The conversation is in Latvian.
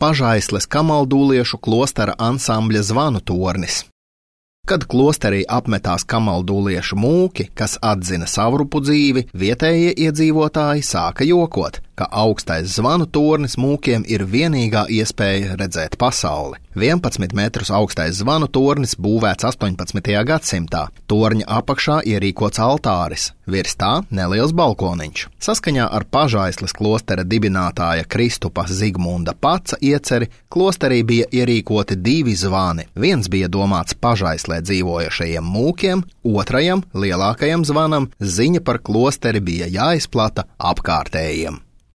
Pažaisles kamaldūliešu klostera ansambļa zvanu tornis. Kad klosterī apmetās kamaldūliešu mūki, kas atzina savrupu dzīvi, vietējie iedzīvotāji sāka jokot, ka augstais zvanu tornis mūkiem ir vienīgā iespēja redzēt pasauli. 11 metrus augstais zvanu tornis būvēts 18. gadsimtā. Torņa apakšā ierīkots altāris, virs tā neliels balkoniņš. Saskaņā ar Pažaisles klostera dibinātāja Kristupa Zigmunda Paca ieceri, klosterī bija ierīkoti 2 zvani. Viens bija domāts Pažaislē dzīvojušajiem mūkiem, otrajam, lielākajam zvanam, ziņa par klosteri bija jāizplata apkārtējiem.